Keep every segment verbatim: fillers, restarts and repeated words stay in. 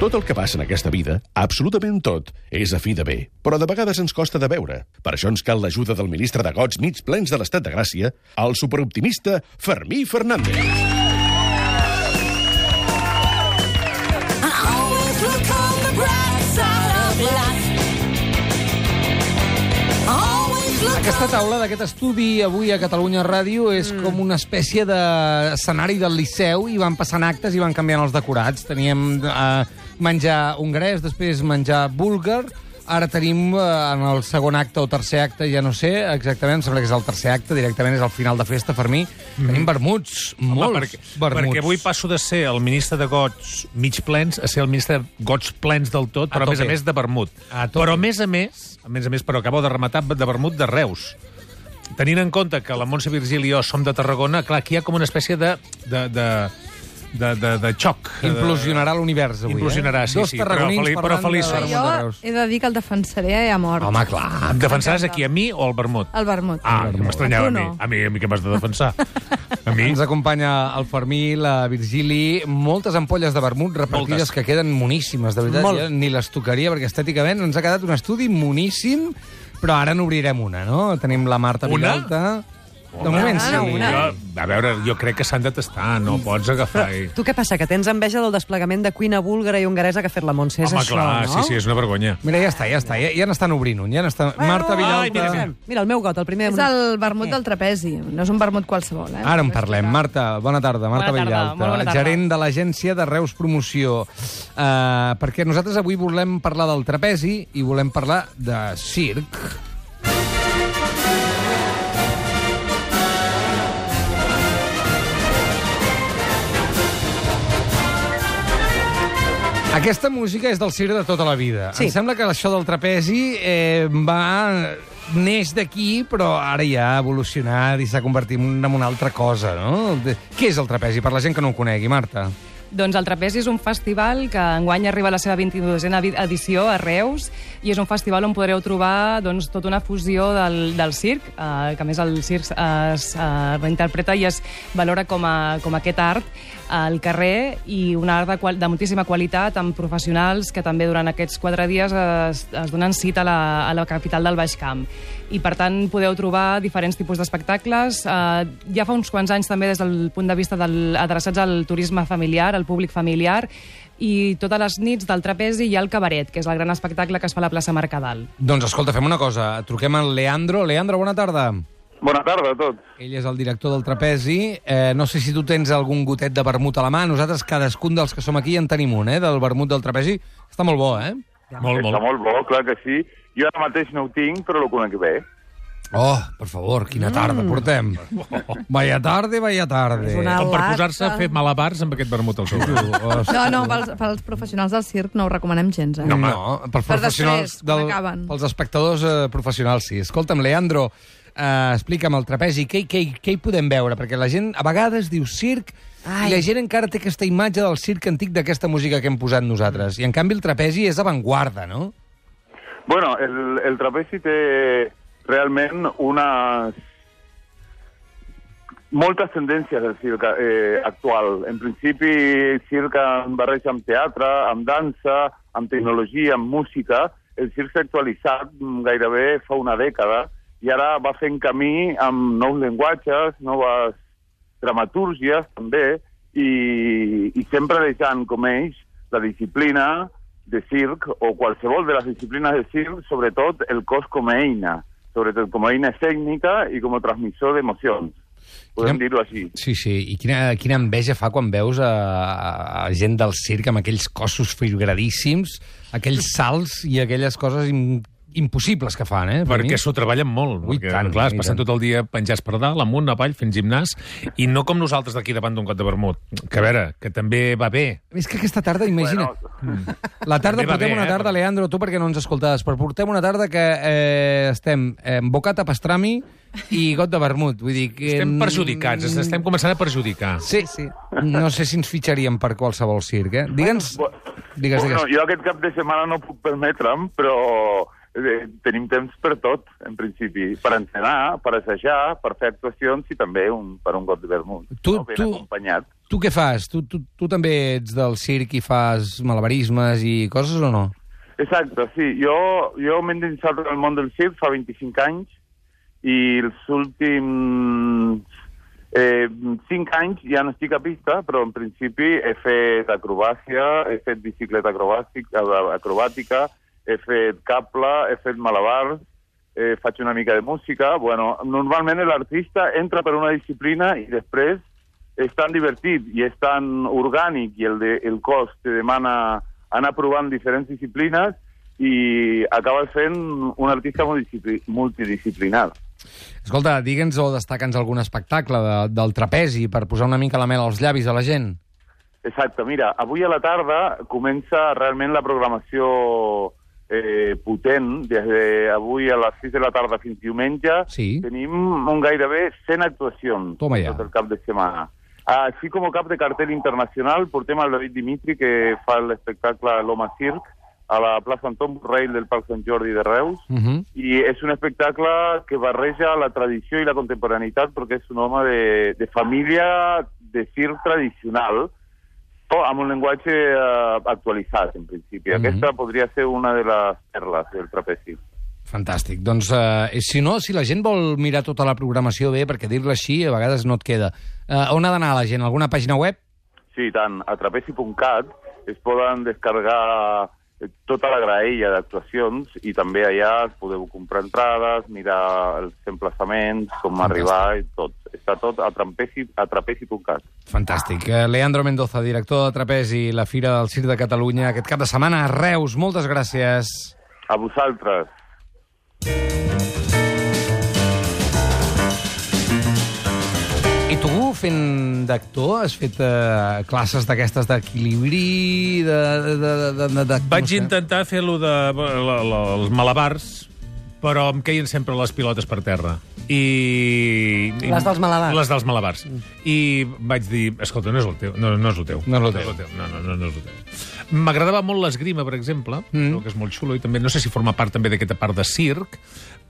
Tot el que passa en aquesta vida, absolutament tot, és a fi de bé. Però de vegades ens costa de veure. Per això ens cal l'ajuda del ministre de gots mig plens de l'estat de gràcia, el superoptimista Fermí Fernández. Aquesta taula d'aquest estudi avui a Catalunya Ràdio és mm. com una espècie d'escenari del Liceu i van passant actes i van canviant els decorats. Teníem eh, menjar hongarès, després menjar búlgar, ara tenim eh, en el segon acte o tercer acte, ja no sé exactament, em sembla que és el tercer acte, directament és el final de festa, Fermí. Mm. Tenim vermuts, Home, molts perquè, vermuts. Perquè avui passo de ser el ministre de gots mig plens a ser el ministre de gots plens del tot, però a, a més a més de vermut. A però a més a més, a més a més, però acabo de rematar de vermut de Reus. Tenint en compte que la Montse Virgili i jo som de Tarragona, clar, aquí hi ha com una espècie de... de, de De, de, de xoc. Implosionarà l'univers avui, Implosionarà, eh? sí, Dos sí, tarragonins però, però feliços. de Jo de he de dir que el defensaré a mort. Home, clar. Em defensaràs aquí, a mi o al vermut? El vermut. Ah, que m'estranyava a mi. no. A mi, a mi que m'has de defensar. A mi? Ens acompanya el Fermí, la Virgili, moltes ampolles de vermut repartides moltes. Que queden moníssimes, de veritat. Ja ni les tocaria, perquè estèticament ens ha quedat un estudi moníssim, però ara n'obrirem una, no? Tenim la Marta Vilalta. De moment, sí. Jo, a veure, jo crec que s'han de tastar, no pots agafar... I... Tu què passa, que tens enveja del desplegament de cuina búlgara i hongaresa que ha fet la Montse? És Home, això, clar, no? sí, sí, és una vergonya. Mira, ja està, ja està. Ja, ja n'estan obrint un. Ja n'estan... Bueno, Marta Vilalta... Ai, mira, mira. Mira, el meu got, el primer... És el vermut del trapezi, no és un vermut qualsevol. Eh? Ara en parlem. Marta, bona tarda. Marta Bona tarda, Vilalta, molt bona tarda. gerent de l'agència de Reus Promoció. Uh, perquè nosaltres avui volem parlar del trapezi i volem parlar de circ. Aquesta música és del circ de tota la vida. Sí. Em sembla que això del trapezi eh, va... neix d'aquí, però ara ja ha evolucionat i s'ha convertit en una altra cosa, no? De... Què és el trapezi, per la gent que no ho conegui, Marta? Doncs el Trapezi és un festival que enguany arriba a la seva vint-i-dosena edició a Reus i és un festival on podreu trobar doncs, tota una fusió del, del circ, eh, que a més el circ es eh, reinterpreta i es valora com, a, com a aquest art al carrer i un art de, qual, de moltíssima qualitat amb professionals que també durant aquests quatre dies es, es donen cita a la, a la capital del Baix Camp. I per tant podeu trobar diferents tipus d'espectacles. Eh, ja fa uns quants anys també des del punt de vista del, adreçats al turisme familiar, al públic familiar, i totes les nits del trapezi hi ha el cabaret, que és el gran espectacle que es fa a la plaça Mercadal. Doncs escolta, fem una cosa. Truquem al Leandro. Leandro, bona tarda. Bona tarda a tots. Ell és el director del trapezi. Eh, no sé si tu tens algun gotet de vermut a la mà. Nosaltres, cadascun dels que som aquí, en tenim un, eh, del vermut del trapezi. Està molt bo, eh? Molt, Està molt bo, clar que sí. Jo ara mateix no ho tinc, però ho conec bé. Oh, per favor, quina tarda mm. portem. Vaya tarde, vaya tarde. una Com per lata. posar-se a fer malabars amb aquest vermut al sobre. No, no, pels, pels professionals del circ no ho recomanem gens, eh? No, no, pels Per professionals, després, quan acaben. pels espectadors eh, professionals, sí. Escolta'm, Leandro, eh, explica'm el trapezi, què, què, què hi podem veure? Perquè la gent a vegades diu circ Ai. i la gent encara té aquesta imatge del circ antic d'aquesta música que hem posat nosaltres. I en canvi el trapezi és avantguarda, no? Bueno, el, el trapezi té realment unes... moltes tendències del circ eh, actual. En principi, el circ en barreja amb teatre, amb dansa, amb tecnologia, amb música. El circ s'ha actualitzat gairebé fa una dècada i ara va fent camí amb nous llenguatges, noves dramatúrgies també, i, i sempre deixant com ells la disciplina de circ o qualsevol de les disciplines de circ, sobretot el cos com a eina, sobretot com a eina escènica i com a transmissor d'emocions. Podem dir-ho així. Sí, sí. I quina, quina enveja fa quan veus a, a gent del circ amb aquells cossos filgradíssims, aquells salts i aquelles coses im, impossibles que fan, eh? Per perquè mi. s'ho treballen molt. Ui, perquè, tant, clar, es ui, passen tant. tot el dia penjats per dalt, amunt, avall, fent gimnàs, i no com nosaltres d'aquí davant d'un got de vermut. Que a veure, que també va bé. És que aquesta tarda, imagina... Bueno, La tarda, També va portem bé, una eh, tarda, però- Leandro, tu perquè no ens escoltaves, però portem una tarda que eh, estem eh, bocat a pastrami i got de vermut. Vull dir que... Estem perjudicats, ens estem començant a perjudicar. Sí, sí. No sé si ens fitxaríem per qualsevol circ, eh? Digue'ns... Digues, Bueno, digues. jo aquest cap de setmana no puc permetre'm, però eh, tenim temps per tot, en principi. Per entrenar, per assajar, per fer actuacions i també un, per un got de vermut. Tu- no? Ben tu- acompanyat. Tu què fas? Tu, tu, tu també ets del circ i fas malabarismes i coses o no? Exacte, sí. Jo, jo m'he endinsat en el món del circ fa vint-i-cinc anys i els últims eh, cinc anys ja no estic a pista, però en principi he fet acrobàcia, he fet bicicleta acrobàtica, acrobàtica he fet cable, he fet malabars, eh, faig una mica de música. Bueno, normalment l'artista entra per una disciplina i després és tan divertit i és tan orgànic i el, de, el cos te demana anar provant diferents disciplines i acabes fent un artista multidisciplinar. Escolta, digue'ns o destaca'ns algun espectacle de, del trapezi per posar una mica la mel als llavis a la gent. Exacte, mira, avui a la tarda comença realment la programació eh, potent. Des d'avui a les sis de la tarda fins diumenge sí. Tenim un gairebé cent actuacions Toma ja. tot el cap de setmana. Així com a cap de cartell internacional portem el David Dimitri, que fa l'espectacle L'Home Circ a la plaça Anton Borrell del Parc Sant Jordi de Reus, uh -huh. i és un espectacle que barreja la tradició i la contemporaneïtat perquè és un home de, de família de circ tradicional, o amb un llenguatge uh, actualitzat, en principi. Uh -huh. Aquesta podria ser una de les perles del trapezi. Fantàstic. Doncs, eh, si no, si la gent vol mirar tota la programació bé, perquè dir-la així a vegades no et queda, eh, on ha d'anar la gent? Alguna pàgina web? Sí, tant. A trapezi punt cat es poden descarregar tota la graella d'actuacions i també allà podeu comprar entrades, mirar els emplaçaments, com Fantàstic. Arribar i tot. Està tot a trapezi punt cat. Fantàstic. Leandro Mendoza, director de Trapezi, la Fira del Circ de Catalunya, aquest cap de setmana a Reus. Moltes gràcies. A vosaltres. I tu, fent d'actor, has fet uh, classes d'aquestes d'equilibri, de, de, de, de, de... Vaig intentar fer-lo de la, la, els malabars, però em queien sempre les pilotes per terra. I... Les dels malabars. Les dels malabars. I vaig dir, escolta, no és el teu. No, no és el teu. No és el teu. No, és el teu. no, no, no, no és el teu. M'agradava molt l'esgrima, per exemple, mm. que és molt xulo, i també no sé si forma part també d'aquesta part de circ,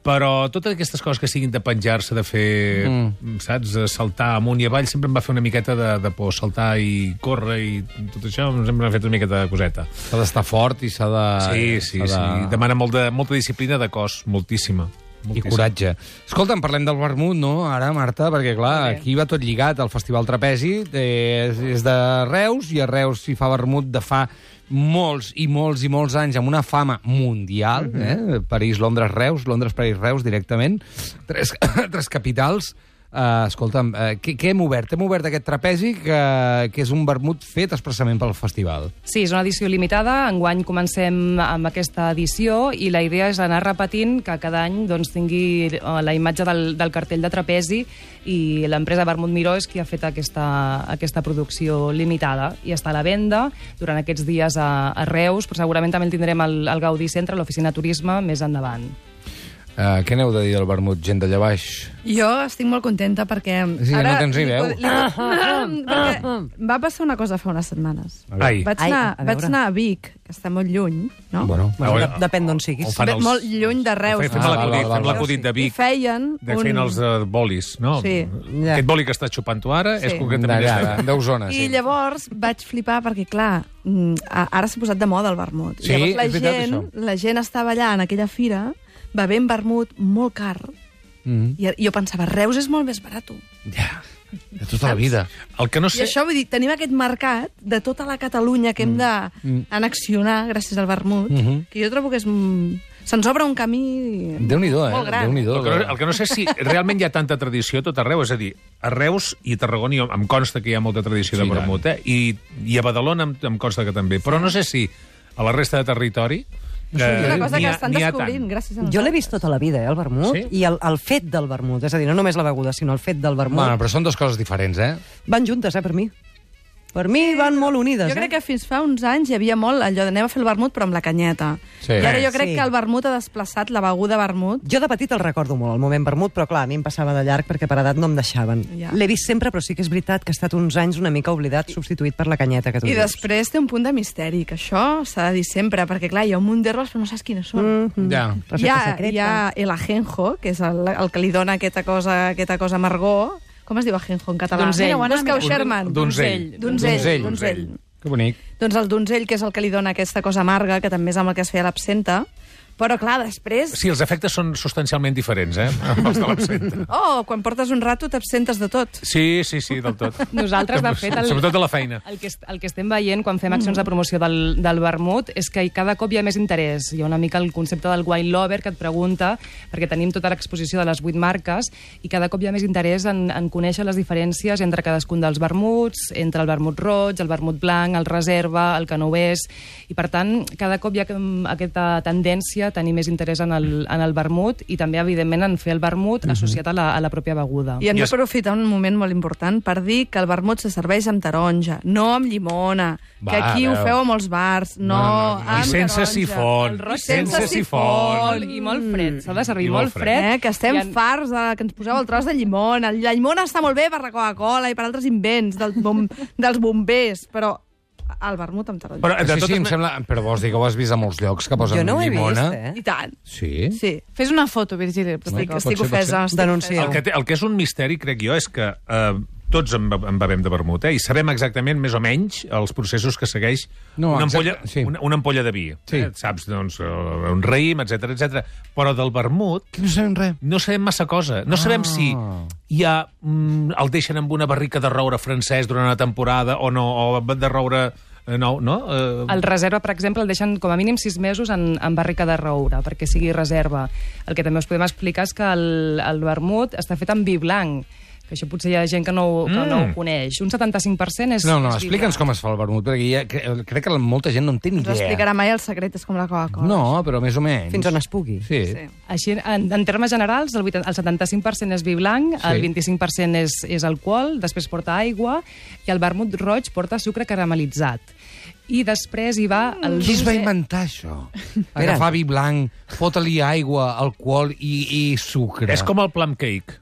però totes aquestes coses que siguin de penjar-se, de fer, mm. saps, saltar amunt i avall, sempre em va fer una miqueta de, de por, saltar i córrer i tot això, sempre m'ha fet una miqueta de coseta. S'ha d'estar fort i s'ha de... Sí, sí, de... sí. Demana molt de, molta disciplina de cos, moltíssima. Moltíssim. I coratge. Escolta'm, parlem del vermut, no, ara, Marta? Perquè, clar, okay. aquí va tot lligat. El Festival Trapezi és, és de Reus, i a Reus s'hi fa vermut de fa molts i molts i molts anys, amb una fama mundial, mm-hmm. eh? París, Londres, Reus, Londres, París, Reus, directament. Tres, tres capitals. Uh, escolta'm, uh, què, què hem obert? Hem obert aquest trapezi que, que és un vermut fet expressament pel festival. Sí, és una edició limitada. Enguany comencem amb aquesta edició i la idea és anar repetint que cada any doncs, tingui la imatge del, del cartell de trapezi, i l'empresa Vermut Miró és qui ha fet aquesta, aquesta producció limitada i està a la venda durant aquests dies a, a Reus, però segurament també el tindrem al, al Gaudí Centre, a l'oficina Turisme, més endavant. Uh, què n'heu de dir del vermut, gent d'allà baix? Jo estic molt contenta perquè... Sí, ara no tens ni veu. Li, li, perquè va passar una cosa fa unes setmanes. Ai. Vaig anar, Ai, a vaig anar a Vic, que està molt lluny, no? Bueno, bueno de, depèn d'on siguis. Els... Molt lluny de Reus. Fem ah, l'acudit ah, l'acudit de Vic. I feien... De feien un... els uh, bolis, no? Sí. Ja. Aquest boli que estàs xupant tu ara sí. és concretament... D'allà, d'Osona, I sí. llavors vaig flipar perquè, clar, ara s'ha posat de moda el vermut. Sí, llavors la és veritat, gent, això. la gent estava allà en aquella fira bevent vermut molt car, mm. i jo pensava, Reus és molt més barat. Ja, de tota la vida. El que no sé... I això, vull dir, tenim aquest mercat de tota la Catalunya que hem d'annexionar gràcies al vermut, mm -hmm. que jo trobo que és... se'ns obre un camí Déu-n'hi-do, eh? molt gran. Déu-n'hi-do. El que, no, el que no sé si realment hi ha tanta tradició a tot arreu, és a dir, a Reus i a Tarragona em consta que hi ha molta tradició sí, de vermut, eh? I, i a Badalona em, em consta que també, però no sé si a la resta de territori... És una cosa que estan descobrint gràcies a nosaltres. Jo l'he vist tota la vida, eh, el vermut, sí? I el, el fet del vermut, és a dir, no només la beguda, sinó el fet del vermut. Bueno, però són dues coses diferents, eh? Van juntes, eh, per mi. Per mi van molt unides, jo eh? crec que fins fa uns anys hi havia molt allò d'anem a fer el vermut però amb la canyeta. Sí. I ara jo crec sí. que el vermut ha desplaçat la beguda vermut. Jo de petit el recordo molt, el moment vermut, però clar, a mi em passava de llarg perquè per edat no em deixaven. Ja. L'he vist sempre, però sí que és veritat que ha estat uns anys una mica oblidat, substituït per la canyeta que tu I dius. després té un punt de misteri, que això s'ha de dir sempre, perquè clar, hi ha un munt d'herbes però no saps quines són. Mm -hmm. Ja. Recepta Hi ha, secreta. hi ha el ajenjo, que és el, el que li dona aquesta cosa, aquesta cosa amargor, Com es diu ajenjo en català? Donzell. Mira, busca-ho, Donzell. Sherman. Donzell. Donzell. Donzell. Que bonic. Doncs el donzell, que és el que li dona aquesta cosa amarga, que també és amb el que es feia l'absenta. Però, clar, després... Sí, els efectes són substancialment diferents, eh? Els de l'absenta. Oh, quan portes un rato t'absentes de tot. Sí, sí, sí, del tot. Nosaltres, de fet... El, Sobretot de la feina. El que, el que estem veient quan fem accions de promoció del, del vermut és que cada cop hi ha més interès. Hi ha una mica el concepte del wine lover que et pregunta, perquè tenim tota l'exposició de les vuit marques, i cada cop hi ha més interès en, en conèixer les diferències entre cadascun dels vermuts, entre el vermut roig, el vermut blanc, el reserva, el canovès, i per tant, cada cop hi ha aquesta tendència tenir més interès en el, en el vermut i també, evidentment, en fer el vermut associat a la, a la pròpia beguda. I hem I es- d'aprofitar un moment molt important per dir que el vermut se serveix amb taronja, no amb llimona, Va, que aquí ho veu. feu a molts bars, no, No, no, no. I amb sense taronja. sifon. El roig sense sense sifon. Molt, I molt fred. S'ha de servir I molt molt fred. Eh, que estem I en- farts de que ens poseu el tros de llimona. La llimona està molt bé per la Coca-Cola i per altres invents del bom, dels bombers, però el vermut amb taronja. Però, de Sí, sí, totes em ma- sembla... Però vols dir que ho has vist a molts llocs que posen Jo no ho he llimona? vist, eh? I tant. Sí? Sí. Fes una foto, Virgili. Estic, pot estic ser, pot ofesa. ser. estic Denuncia. El que, té, el que és un misteri, crec jo, és que eh, tots en, be- en bevem de vermut, eh? I sabem exactament, més o menys, els processos que segueix No, una, exacte, ampolla, sí. una, una ampolla de vi. Sí. Eh? Saps, doncs, eh, un raïm, etc etc. Però del vermut Que no sabem res. no sabem massa cosa. No sabem Ah. si hi ha, mm, el deixen amb una barrica de roure francès durant una temporada o no, o de roure... eh, No, no? Eh, El reserva, per exemple, el deixen com a mínim sis mesos en, en barrica de roure, perquè sigui reserva. El que també us podem explicar és que el, el vermut està fet amb vi blanc, que això potser hi ha gent que no, que Mm. no ho coneix. Un setanta-cinc per cent és... No, no, és vi explica'ns blanc. com es fa el vermut, perquè ja, cre- crec que molta gent no en té ni No idea. explicarà mai el secret, és com la Coca-Cola. No, però més o menys. Fins on es pugui. Sí. Sí. Així, en, en termes generals, el, vuitanta el setanta-cinc per cent és vi blanc, Sí. el vint-i-cinc per cent és, és alcohol, després porta aigua, i el vermut roig porta sucre caramelitzat. I després hi va el... Qui es va dulce- inventar això? Agafar vi blanc, fotre-li aigua, alcohol i, i sucre. és com el plum cake.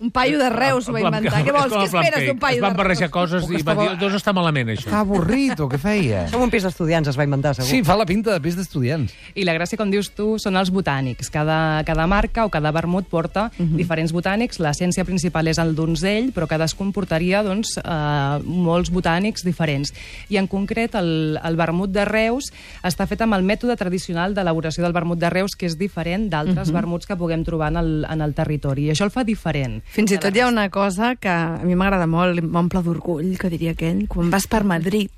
Un paio de Reus ho va El plum inventar. cake. Què vols? És com Què el plum esperes cake. d'un paio Es de van Reus? barrejar coses Com que i va estava- dir, doncs està malament, això. Està avorrit, o què feia? Som un pis d'estudiants, es va inventar, segur. Sí, fa la pinta de pis d'estudiants. I la gràcia, com dius tu, són els botànics. Cada, cada marca o cada vermut porta uh -huh. diferents botànics. L'essència principal és el donzell, però cadascun portaria doncs, eh, molts botànics diferents. I en concret, el, el vermut de Reus està fet amb el mètode tradicional d'elaboració del vermut de Reus, que és diferent d'altres uh -huh. vermuts que puguem trobar en el, en el territori. I això el fa diferent. Fins i tot hi ha una cosa que a mi m'agrada molt, m'omple d'orgull, que diria aquell, quan vas per Madrid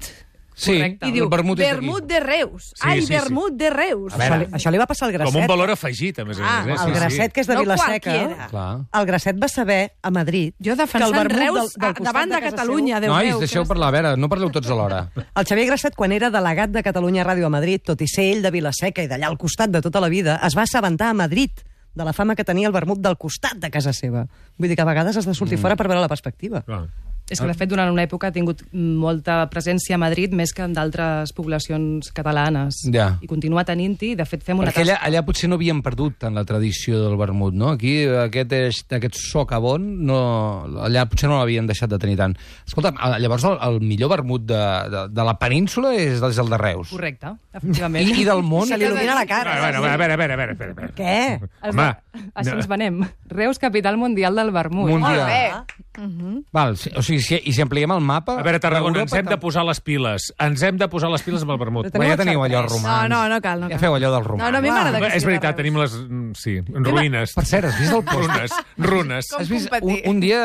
Sí, Correcte. i diu, el vermut és d'aquí. vermut de Reus. Sí, Ai, sí, sí. vermut de Reus. A veure, Això li, això li va passar al Grasset. Com un valor afegit, a més a Ah, més. Eh? El Grasset, que és de No Vilaseca, qualquiera. Clar. el Grasset va saber, a Madrid, Jo que el defensant vermut Reus del- del a- costat davant de, casa Catalunya. Déu Nois, meu, deixeu que- parlar, a veure, no parleu tots alhora. El Xavier Grasset, quan era delegat de Catalunya Ràdio a Madrid, tot i ser ell de Vilaseca i d'allà al costat de tota la vida, es va assabentar a Madrid de la fama que tenia el vermut del costat de casa seva. Vull dir que a vegades has de sortir Mm. fora per veure la perspectiva. Clar. És que, de fet, durant una època ha tingut molta presència a Madrid, més que en d'altres poblacions catalanes. Ja. I continua tenint-hi. De fet, fem una Perquè allà, tasca... allà potser no havíem perdut tant la tradició del vermut, no? Aquí aquest, és- aquest socavon, no, allà potser no l'havien deixat de tenir tant. Escolta, llavors el, el millor vermut de, de, de la península és, és el de Reus. Correcte, efectivament. I, I del món... Se li il·lumina la cara. A veure, a veure, a veure, a veure, a veure, a veure. Què? Es- Home, Així no. ens venem. Reus, capital mundial del vermut. Mundial. Molt bé. Val, si- o sigui, si, i si ampliem el mapa... A veure, Tarragona, ens Europa hem de tam- posar les piles. Ens hem de posar les piles amb el vermut. Però Però ja Teniu teniu allò xarpers. romans. No, no, no cal, no Ja cal. feu allò dels romans. No, no, a mi m'agrada que És sigui veritat, de tenim les... mm, Sí, ruïnes. Per cert, has vist el pòster? Runes, runes. Com Has vist un, competir? un dia,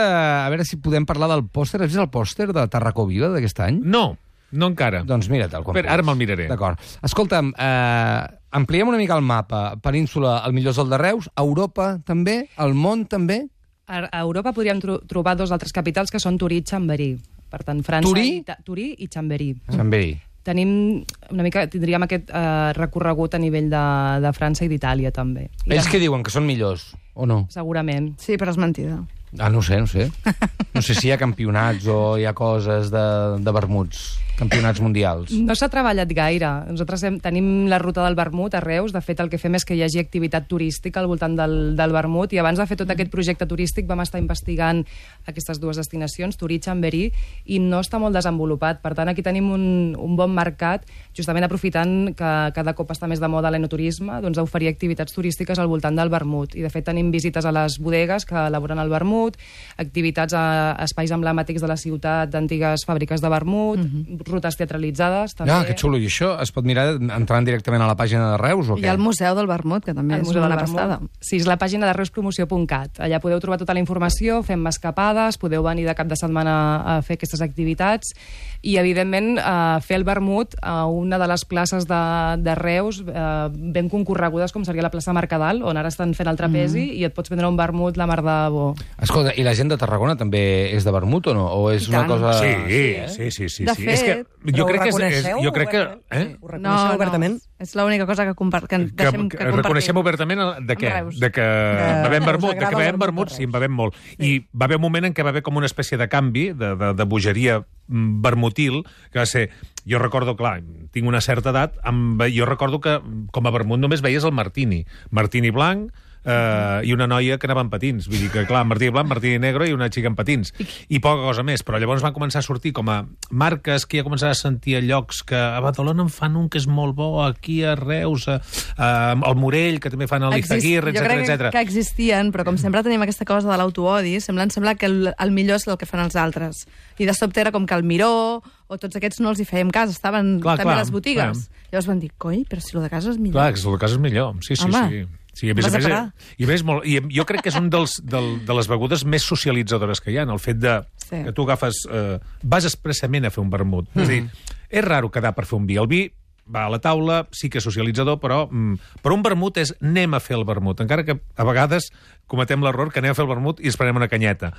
a veure si podem parlar del pòster, has vist el pòster de Tarracó Vila d'aquest any? No, no encara. Doncs mira't-el quan Espera, ara me'l miraré. D'acord. Escolta'm, eh, ampliem una mica el mapa. Península, el millor és el de Reus. Europa, també. El món, també. A a Europa podríem tro trobar dos altres capitals que són Turí i Chambéry. Per tant, França... Turí? I Ita- Turí i Chambéry. Sant Verí. Tenim una mica, tindríem aquest eh, recorregut a nivell de, de França i d'Itàlia, també. I Ells de- que diuen que són millors, o no? Segurament. Sí, però és mentida. Ah, no ho sé, no ho sé. No sé si hi ha campionats o hi ha coses de, de vermuts, campionats mundials. No s'ha treballat gaire. Nosaltres hem, tenim la ruta del vermut a Reus. De fet, el que fem és que hi hagi activitat turística al voltant del, del vermut, i abans de fer tot aquest projecte turístic vam estar investigant aquestes dues destinacions, Turí i Chambéry, i no està molt desenvolupat. Per tant, aquí tenim un, un bon mercat, justament aprofitant que cada cop està més de moda l'enoturisme, doncs a oferir activitats turístiques al voltant del vermut. I, de fet, tenim visites a les bodegues que elaboren el vermut, vermut, activitats a espais emblemàtics de la ciutat d'antigues fàbriques de vermut, mm-hmm. rutes teatralitzades, també. Ah, que xulo. I això es pot mirar entrant directament a la pàgina de Reus o què? I al Museu del Vermut, que també el és Museu una del passada. Sí, és la pàgina de reuspromoció punt cat. Allà podeu trobar tota la informació, fem escapades, podeu venir de cap de setmana a fer aquestes activitats i, evidentment, eh, fer el vermut a una de les places de, de Reus eh, ben concorregudes, com seria la plaça Mercadal, on ara estan fent el trapezi, mm. i et pots prendre un vermut la mar de bo. Escolta, i la gent de Tarragona també és de vermut o no? O és una cosa... Sí, eh? sí, sí. sí, de sí. fet... És que jo crec que és, és, jo crec que... Eh? Ho reconeixeu no, obertament? No, és l'única cosa que, compar que, que, deixem, que, que compartim. reconeixem obertament de què? De que bevem vermut, de que bevem vermut, sí, en bevem molt. I va haver un moment en què va haver com una espècie de canvi, de, de, de bogeria vermutil, que va ser... Jo recordo, clar, tinc una certa edat, amb, jo recordo que com a vermut només veies el martini. Martini blanc, Uh, i una noia que anava en patins. Vull dir que, clar, martini blanc, martini negre i una xica en patins. I poca cosa més. Però llavors van començar a sortir com a marques que ja començava a sentir a llocs que a Badalona en fan un que és molt bo, aquí a Reus, a, a, al Morell, que també fan el Izaguirre, etcètera, etcètera. Jo crec que, que existien, però com sempre tenim aquesta cosa de l'autoodi, sembla, sembla que el, el millor és el que fan els altres. I de sobte era com que el Miró o tots aquests no els hi fèiem cas, estaven clar, també clar, a les botigues. Clar. Llavors van dir, coi, però si el de casa és millor. Clar, que el de casa és millor, sí, sí, Home. sí. Sí, a més, a més, i, més molt, i jo crec que és un dels, del, de les begudes més socialitzadores que hi ha, el fet de sí. que tu agafes... Eh, vas expressament a fer un vermut. Mm. És a dir, és raro quedar per fer un vi. El vi va a la taula, sí que és socialitzador, però, mm, però un vermut és anem a fer el vermut, encara que a vegades cometem l'error que anem a fer el vermut i esperem una canyeta.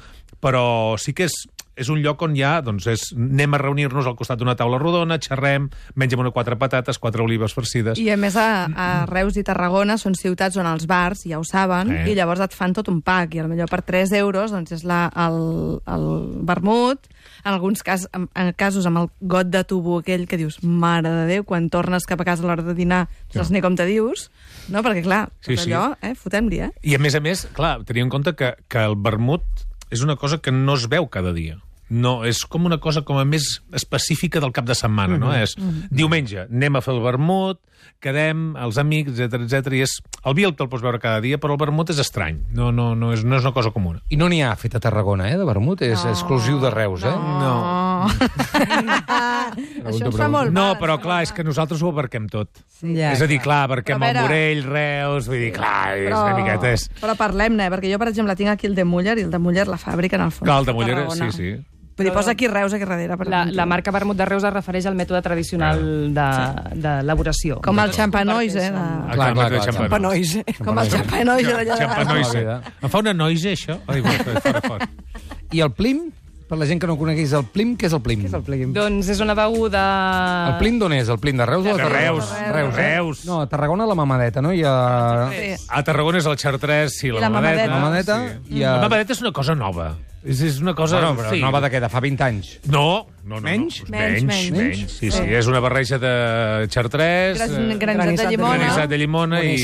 Però sí que és, és un lloc on ja doncs és, anem a reunir-nos al costat d'una taula rodona, xerrem, mengem una quatre patates, quatre olives farcides... I a més a, a Reus i Tarragona són ciutats on els bars ja ho saben, eh. i llavors et fan tot un pack, i potser per tres euros doncs és la, el, el vermut, en alguns cas, en, en casos amb el got de tubo aquell que dius, mare de Déu, quan tornes cap a casa a l'hora de dinar, no saps ni com te dius, no? Perquè clar, tot sí, allò, sí. eh, fotem-li, eh? I a més a més, clar, tenia en compte que, que el vermut és una cosa que no es veu cada dia. No, és com una cosa com a més específica del cap de setmana, mm-hmm. no? És mm-hmm. diumenge, anem a fer el vermut, quedem, els amics, etcètera, etcètera, i és... El vi el te'l pots veure cada dia, però el vermut és estrany, no, no, no, és, no és una cosa comuna. I no n'hi ha fet a Tarragona, eh, de vermut? És no, exclusiu de Reus, eh? No. no. Això ens fa molt No, mal, però clar, és que nosaltres ho abarquem tot. Sí, ja, és a dir, clar, abarquem veure... el Morell, Reus, vull dir, clar, és però, una miqueta... És... Però parlem-ne, perquè jo, per exemple, tinc aquí el de Muller, i el de Muller la fàbrica, en el fons. Clar, el de Muller, sí, sí. Vull dir, posa aquí Reus, aquí darrere. Per la, la marca vermut de Reus es refereix al mètode tradicional d'elaboració. Com el xampanoise, eh? De... Ah, clar, clar, clar, xampanoise. Com el xampanoise d'allà. Xampanoise. Em fa una noise, això? Ai, fora, fora. I el plim? Per la gent que no conegués el plim, què és el plim? Què és el plim? Doncs és una beguda... El plim d'on és? El plim de Reus o de Tarragona? Reus. Reus, eh? Reus. No, a Tarragona la mamadeta, no? I a... Sí. A Tarragona és el xartrès i la, I la mamadeta. La mamadeta sí. i a... La mamadeta és una cosa nova. És, és una cosa... Bueno, però sí. nova de què? De fa vint anys? No, no, no. Menys? No. Menys, menys, menys. menys. Sí, sí, és una barreja de xartrès, Gran, granissat de llimona. granissat de llimona i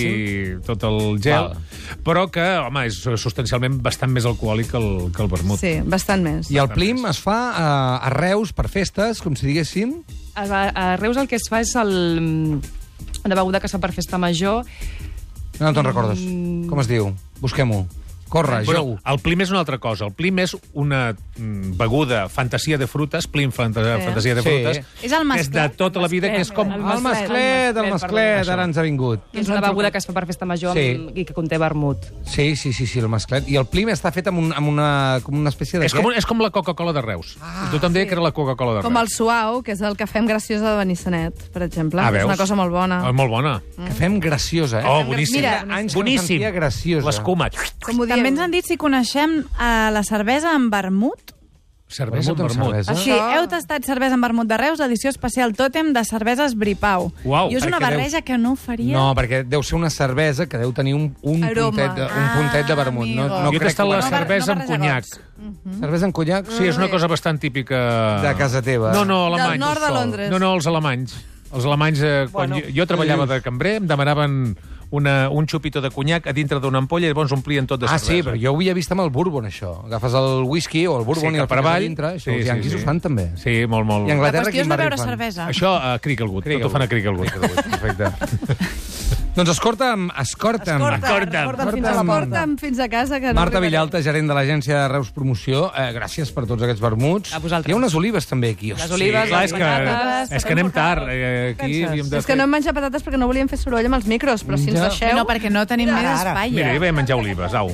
tot el gel. Val. Però que, home, és substancialment bastant més alcohòlic que el, que el vermut. Sí, bastant més. I el plim es fa a, a Reus per festes, com si diguéssim? A, a Reus el que es fa és el, una beguda que es fa per festa major. No te'n recordes. Com es diu? Busquem-ho. Corre, Però Jou. el plim és una altra cosa. El plim és una mm, beguda fantasia de frutes, plim fanta Sí. fantasia de Sí. frutes, És el que és de masclet. tota la vida, que és com... El El masclet, el masclet, ara ens ha vingut. És una beguda que es fa per festa major Sí. amb, i que conté vermut. Sí, sí, sí, sí, el masclet. I el plim està fet amb, un, amb una, com una espècie de És com, és com la Coca-Cola de Reus. Ah, Tothom deia que era la Coca-Cola de Reus. Com el suau, que és el que fem graciosa de Benissanet, per exemple. Ah, és veus? una cosa molt bona. Ah, molt bona. Que fem graciosa, eh? Oh, boníssim. Mira, anys que no boníssim. sentia graciosa. L'escuma. Com ho També diem? ens han dit si coneixem uh, la cervesa amb vermut. Cervesa amb Vermut amb vermut. cervesa. Sí, heu tastat cervesa amb vermut de Reus, edició especial tòtem de cerveses Bripau. Uau, I és una perquè barreja que no faria... No, perquè deu ser una cervesa que deu tenir un, un, Aroma. puntet, de, un puntet de vermut. No, no Jo he crec tastat la que... no bar- cervesa no amb barreja conyac. gots. Cervesa amb conyac? Sí, és una cosa bastant típica... De casa teva. No, no, Del alemanys. nord de Londres. No, no, els alemanys. Els alemanys, eh, quan Bueno, jo, jo treballava de cambrer, em demanaven una, un xupito de conyac a dintre d'una ampolla i llavors omplien tot de Ah, cervesa. sí, però jo ho havia vist amb el bourbon, això. Agafes el whisky o el bourbon Sí, i el cap per fiques a avall. dintre. Això, Sí, els sí, yanquis sí. ho fan, també. Sí, molt, molt. I a La Anglaterra qüestió és quin no barri beure fan? cervesa. Això a Cricklewood, tot ho fan a Cricklewood. Cricklewood, perfecte. Doncs escorta'm, escorta'm. Escorta'm, escorta'm fins a la porta. Porta'm fins a casa. Que no Marta arribaré. Villalta, gerent de l'agència de Reus Promoció, eh, gràcies per tots aquests vermuts. A vosaltres. Hi ha unes olives també aquí. Les Hosti. olives, Clar, les és que, patates... és que anem tard. Eh, aquí Penses? havíem de És que no hem menjat patates perquè no volíem fer soroll amb els micros, però si ens Ja. deixeu... No, perquè no tenim més ara. espai. Mira, eh? jo vaig menjar olives, au.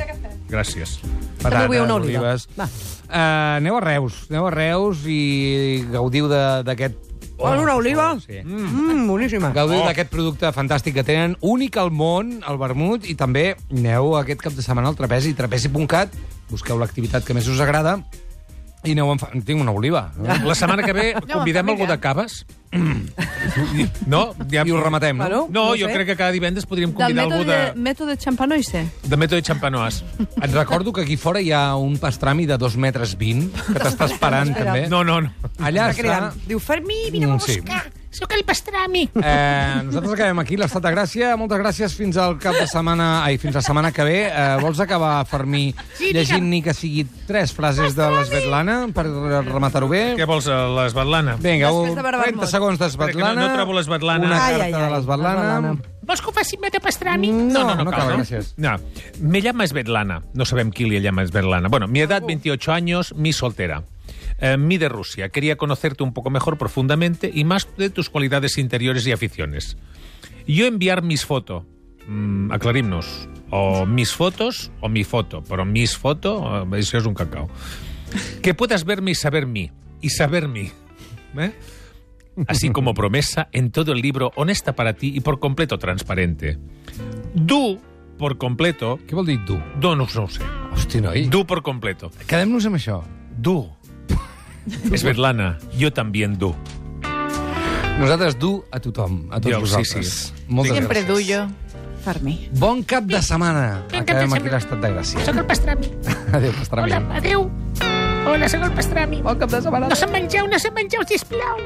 Gràcies. Patates, vull una oliva. olives. Va. Uh, aneu a Reus, aneu a Reus i gaudiu de- d'aquest... Vols una oliva? Sí. Mmm, boníssima. Gaudiu d'aquest producte fantàstic que tenen, únic al món, el vermut, i també aneu aquest cap de setmana al Trapezi, trapezi punt cat, busqueu l'activitat que més us agrada i aneu en fa... Tinc una oliva. No? La setmana que ve No, convidem família. algú de Caves? No? Ja... I ho rematem, no? Bueno, No, no jo sé. crec que cada divendres podríem Del convidar algú mètode, de, mètode Champanoise. de Mètode Champanois. Et recordo que aquí fora hi ha un pastrami de dos metres vint que t'està esperant, també. No, no, no. Allà Està cridant. està... Diu, Fermí, vine Mm, a sí. buscar. Sóc el pastrami. Eh, nosaltres acabem aquí, l'Estat de Gràcia. Moltes gràcies fins al cap de setmana... Ai, fins la setmana que ve. Eh, vols acabar, Fermí, llegint ni que sigui tres frases de l'Esvetlana per rematar-ho bé? Què vols, eh, l'esvetlana? Vinga, Després un, de veure trenta Vermut. segons Espera, que d'Esvetlana. no- no trobo l'Esvetlana. Una Ai, carta ai, ai, de l'Esvetlana. l'Esvetlana. Vols que ho faci meta pastrami? No, no, no, cal, cal, gràcies. No. Me llama Svetlana. No sabem qui le llama Svetlana. Bueno, mi edad, veintiocho años, mi soltera. Eh, mi de Rusia. Quería conocerte un poco mejor profundamente y más de tus cualidades interiores y aficiones. Yo enviar mis fotos. Mm, aclarim-nos. O mis fotos o mi foto. Però mis foto, eh, això és un cacao. Que puedas verme y saber mí. Y saber mí. ¿Eh? Así como promesa en todo el libro, honesta para ti y por completo transparente. Du, por completo... Què vol dir du? Du, no, no ho sé. Hosti, noi. Du por completo. Quedem-nos amb això. Du. Svetlana, yo también du. Nosaltres du a tothom, a tots Jo, sí, vosaltres. sí. Moltes Sempre gràcies. duyo. Fermí. Bon cap de setmana. Bon cap de Acabem aquí setmana. l'Estat de Gràcia. Sóc el pastrami. Adéu, pastrami. Hola, adéu. Hola, sóc el pastrami. Bon cap de setmana. No se'n mengeu, no se'n mengeu, sisplau.